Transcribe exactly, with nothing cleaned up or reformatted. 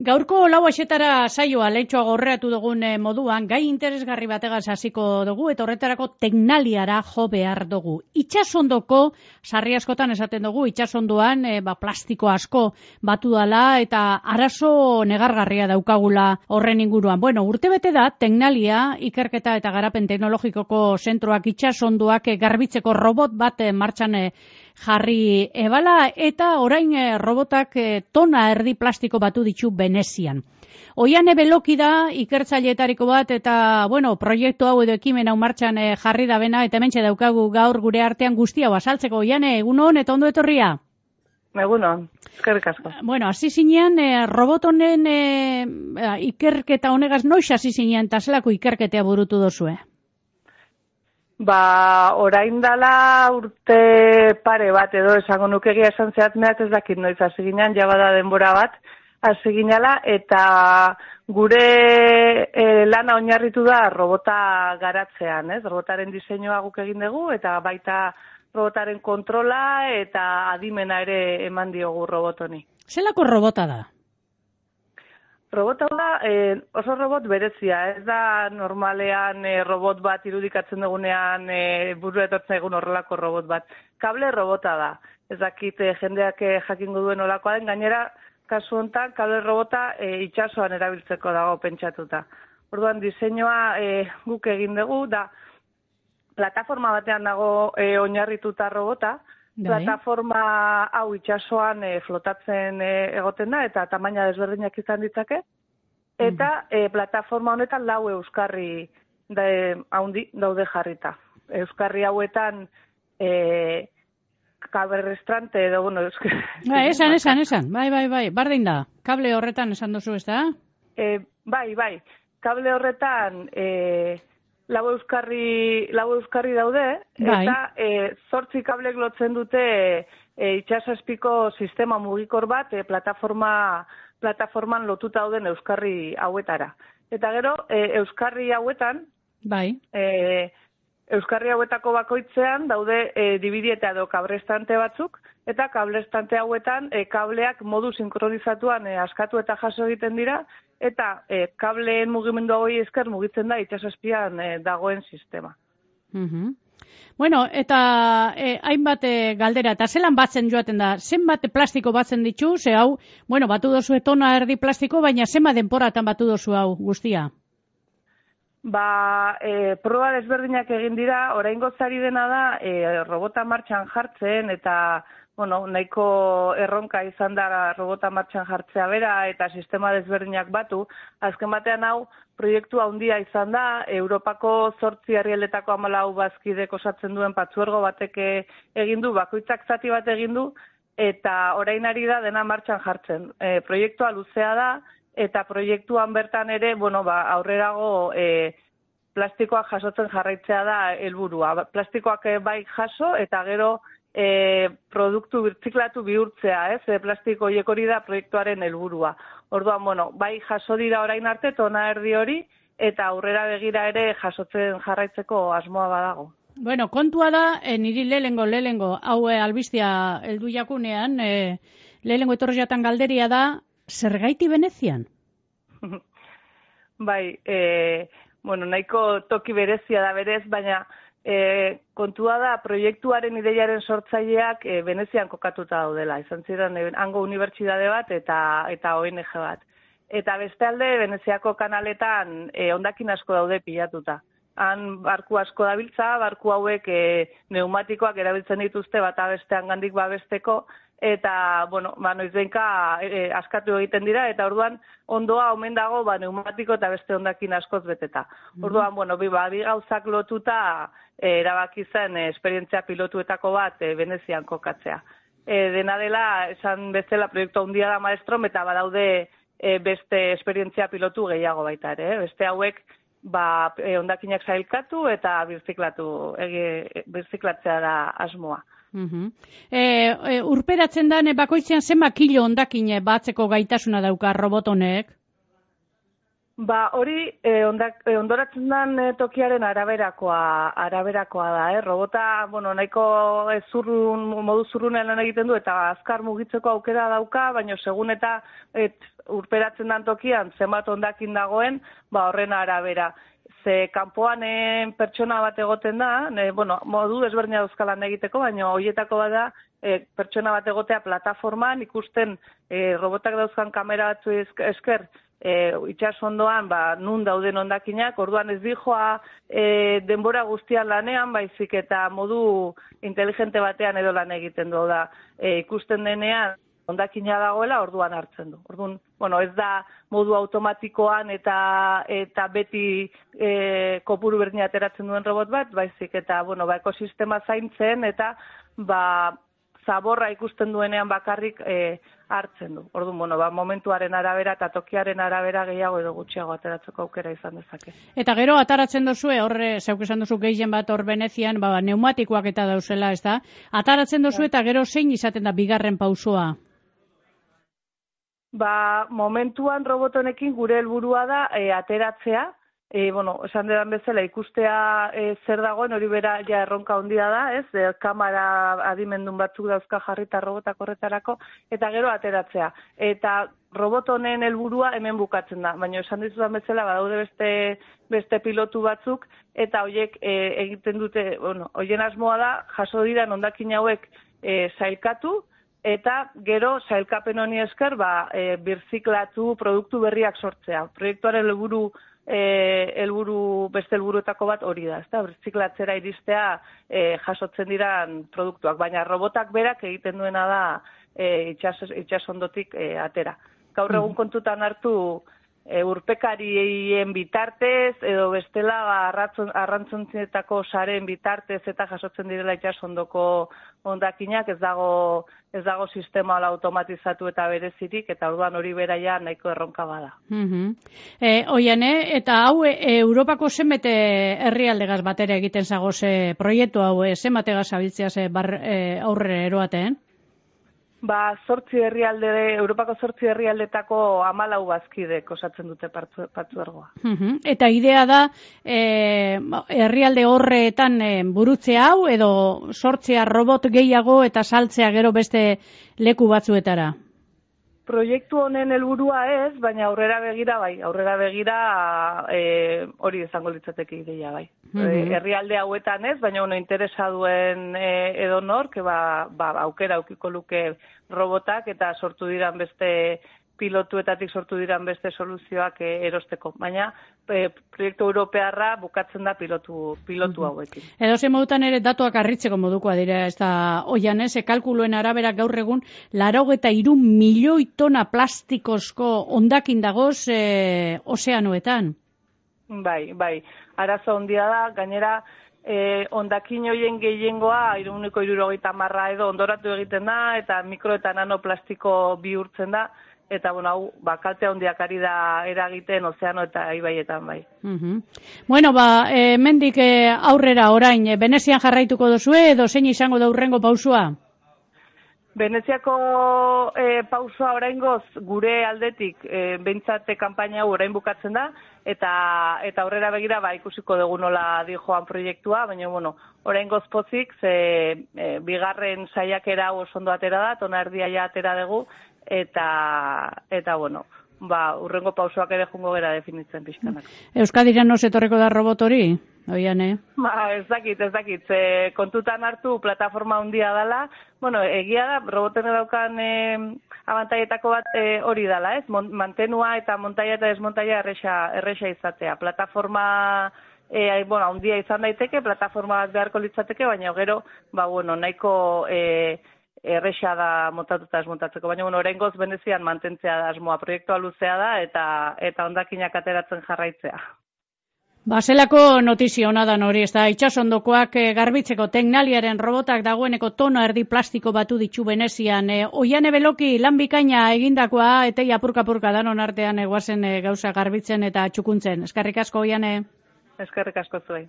Gaurko lau axetara saioa leitxoa gorreatu dugun moduan, gai interesgarri bategaz hasiko dugu, eta horretarako teknaliara jo behar dugu. Itxasondoko, sarri askotan esaten dugu, itxasondoan e, ba, plastiko asko batu dala, eta arazo negargarria daukagula horren inguruan. Bueno, urte bete da, teknalia, ikerketa eta garapen teknologikoko zentroak itxasondoak garbitzeko robot bat martxan e, jarri ebala, eta orain e, robotak e, tona erdi plastiko batu ditu Venezian. Oiane Beloki da ikertzaileetariko bat, eta bueno, proiektu hau edo ekimen hau martxan e, jarri da bena, eta hementxe daukagu gaur gure artean guztia azaltzeko. Oiane, egunon eta ondo etorria? Egunon, eskerrik asko. Bueno, hasi zinean, e, robot honen e, ikerketa honegaz noiz hasi zinean, eta zelako ikerketea burutu dozue? Ba, orain dala urte pare bat edo esango nukegia esan zehatmeat ez dakit noiz hasi ginean, ja bada denbora bat hasi ginela, eta gure e, lana oinarritu da robota garatzean, ez? Robotaren diseinua guk egin dugu, eta baita robotaren kontrola eta adimena ere eman diogu robot honi. Zelako robota da? Robota da eh, oso robot berezia, ez da normalean eh, robot bat irudikatzen dugunean eh, buru etortzen egun horrelako robot bat. Kable robota da, ez dakit eh, jendeak eh, jakingo duen olakoa den, gainera kasu honetan kable robota eh, itsasoan erabiltzeko dago pentsatuta. Orduan diseinua eh, guk egin dugu, da plataforma batean dago eh, oinarrituta robota, Dai. Plataforma hau itsasoan e, flotatzen e, egoten da, eta tamaina desberdinak izan ditzake, eta e, plataforma honetan lau euskarri da, e, haundi daude jarrita. Euskarri hauetan e, kaberrestrante edo, bueno, euskar... Ba, esan, esan, esan, bai, bai, bai, bardin da, kable horretan esan duzu ez da? E, bai, bai, kable horretan... E, Lau euskarri, lau euskarri daude, bai. Eta e, zortzi kablek lotzen dute e, itxasazpiko sistema mugikor bat e, plataforma, plataforman lotuta dauden euskarri hauetara. Eta gero, e, euskarri hauetan, bai. e, euskarri hauetako bakoitzean daude e, dibidieta edo kablestante batzuk, eta kablestante hauetan e, kableak modu sinkronizatuan e, askatu eta jaso egiten dira, eta e, kableen mugimendu hori esker mugitzen da itxasazpian e, dagoen sistema. Uh-huh. Bueno, eta e, hainbat e, galdera, eta zelan batzen joaten da, zenbat plastiko batzen ditu, ze hau, bueno, batu dozu tona erdi plastiko, baina zenbat denporatan batu dozu hau guztia? Ba, e, proba desberdinak egin dira, oraingo zari dena da, e, robota martxan jartzen, eta bueno, nahiko erronka izan da robota martxan jartzea bera eta sistema desberdinak batu. Azken batean hau proiektu handia izan da, Europako zortzi herrialdetako hamalau bazkidek osatzen duen patzuergo batek egin du, bakoitzak zati bat egin du, eta orain ari da dena martxan jartzen. E, proiektua luzea da, eta proiektuan bertan ere, bueno, ba, aurrerago e, plastikoak jasotzen jarraitzea da helburua. Plastikoak bai jaso, eta gero E, produktu birtziklatu bihurtzea, ez? E, plastiko horiek hori da proiektuaren helburua. Orduan, bueno, bai jaso dira orain arte tona erdi hori, eta aurrera begira ere jasotzen jarraitzeko asmoa badago. Bueno, kontua da, e, niri lehengo, lehengo, hau e, albistia heldu jakunean, e, lehengo etorri jatan galderia da, zergaiti Venezian? Bai, e, bueno, nahiko toki berezia da berez, baina E, kontua da, proiektuaren ideiaren sortzaileak e, Venezian kokatuta daudela. Izan ziren, e, hango unibertsitate bat eta eta O N G bat. Eta bestealde, Veneziako kanaletan e, hondakin asko daude pilatuta. Han barku asko dabiltza, barku hauek e, pneumatikoak erabiltzen dituzte bata bestean gandik babesteko, eta, bueno, ba, noizbenka e, askatu egiten dira, eta orduan ondoa omen dago, ba, pneumatiko eta beste hondakin askoz beteta. Orduan, bueno, bi, ba, bi gauzak lotuta e, erabaki zen e, esperientzia pilotuetako bat e, Venezian kokatzea. E, dena dela, esan bezala proiektu handia da maestrom, eta badaude e, beste esperientzia pilotu gehiago baita ere. Eh? Beste hauek, ba, e, hondakinak zailkatu eta birziklatu, ege, birziklatzea da asmoa. Uh-huh. E, e, urperatzen da bakoitzean zenba kilo hondakin batzeko gaitasuna dauka robot honek? Ba, hori eh, ondak, eh, ondoratzen den eh, tokiaren araberakoa, araberakoa da, eh? Robota, bueno, nahiko eh, zurrun, modu zurrunen lan egiten du eta azkar mugitzeko aukera dauka, baina segun eta eh, urperatzen dan tokian zenbat hondakin dagoen, ba horren arabera. Ze kanpoan e, pertsona bat egoten da, e, bueno, modu ezberdina dauzkalan egiteko, baina horietako bada e, pertsona bat egotea plataforman ikusten e, robotak dauzkan kamera batzu esker e, itsasondoan ba, nun dauden hondakinak, orduan ez dijoa e, denbora guztian lanean, baizik eta modu inteligente batean edo lan egiten du da. E, ikusten denean hondakina dagoela, orduan hartzen du. Orduan, bueno, ez da modu automatikoan eta eta beti e, kopuru berdina ateratzen duen robot bat, baizik eta, bueno, ba, ekosistema zaintzen eta ba, zaborra ikusten duenean bakarrik e, hartzen du. Orduan, bueno, ba, momentuaren arabera eta tokiaren arabera gehiago edo gutxiago ateratzeko aukera izan dezake. Eta gero ataratzen dozue, horre, zeuk esan duzu gehien bat hor Venezian, ba, neumatikoak eta dauzela, ez da? Ataratzen dozu eta gero zein izaten da bigarren pausoa? Ba, momentuan robotonekin gure helburua da e, ateratzea, e, bueno, esan dedan bezala ikustea e, zer dagoen, hori bera ja erronka handia da, ez, e, kamera adimendun batzuk dauzka jarrita robotak horretarako, eta gero ateratzea. Eta robotonen helburua hemen bukatzen da, baina esan dizudan bezala badaude beste beste pilotu batzuk, eta horiek e, egiten dute, bueno, horien asmoa da, jaso diran hondakin hauek e, sailkatu, eta gero sailkapen honi esker ba, e, birziklatu produktu berriak sortzea. Proiektuaren helburu e, helburu beste helburuetako bat hori da, ezta? Birziklatzera iristea e, jasotzen diran produktuak, baina robotak berak egiten duena da e, itxas, itsasondotik e, atera. Gaur egun kontutan hartu e, urpekarien bitartez edo bestela arrantzontzietako saren bitartez eta jasotzen direla itsasondoko hondakinak, ez dago ez dago sistema automatizatu eta berezirik, eta orduan hori beraia nahiko erronka bada. Uh-huh. E, Oiane, eta hau e, Europako zenbete herrialdegaz batera egiten zagoze proiektu hau, e, zenbategaz abiltzea ze bar, e, aurre eroaten? Ba, zortzi herrialde, Europako zortzi herrialdetako hamalau bazkidek osatzen dute partzuergoa. Uh-huh. Eta idea da, e, herrialde horretan e, burutzea hau, edo sortzea robot gehiago eta saltzea gero beste leku batzuetara? Proiektu honen helburua ez, baina aurrera begira bai, aurrera begira e, hori izango litzateke ideia bai. Mm-hmm. E, herrialde hauetan ez, baina ono interesa duen e, edo nor, que ba, ba, aukera aukiko luke robotak eta sortu diran beste pilotuetatik sortu diran beste soluzioak e, erosteko. Baina e, proiektu europearra bukatzen da pilotu, pilotu hauekin. Edo ze modutan ere datuak arritzeko modukoa dira, ez da oian ez, kalkuluen arabera gaur egun laurogeita hiru milioi tona plastikozko hondakin dagoz e, ozeanoetan. Bai, bai, arazo handia da, gainera eh, hondakin hoien gehiengoa ehuneko hirurogeita hamar edo ondoratu egiten da, eta mikro eta nanoplastiko bihurtzen da, eta bueno, hau, ba, kalte handiak ari da eragiten ozeano eta ibaietan bai. Uh-huh. Bueno, ba, e, mendik e, aurrera orain, e, Venezian jarraituko dozue, edo zein izango da hurrengo pausua? Veneziako e, pausua oraingoz gure aldetik e, behintzate kanpaina hau orain bukatzen da, eta eta aurrera begira ba ikusiko dugu nola di joan proiektua, baina bueno, oraingoz pozik ze e, bigarren saiakera oso ondo atera da, tona erdia ja atera dugu, eta eta bueno, ba urrengo pausoak ere jungo gera definitzen pixkanak. Euskadiran noz etorreko da robot hori? Oian, eh? Ba, ez dakit, ez dakit. Ze, kontutan hartu plataforma handia dela. Bueno, egia da, roboten daukan e, abantaietako bat e, hori dela, ez? Mantenua eta montaia eta desmontaia erresa, erresa izatea. Plataforma e, bueno, handia izan daiteke, plataforma bat beharko litzateke, baina gero, ba, bueno, nahiko e, erresa da montatuta desmontatzeko. Baina, bueno, oraingoz Venezian mantentzea da asmoa. Proiektua luzea da eta eta hondakinak ateratzen jarraitzea. Baselako notizio hona da hori, ez da, itsasondokoak e, garbitzeko teknaliaren robotak dagoeneko tona erdi plastiko batu ditu Venezian. E, Oiane Beloki, lan bikaina egindakoa, etei apurka-apurka danon artean eguazen e, gauza garbitzen eta txukuntzen. Eskerrik asko, Oiane. Eskerrik asko zuei.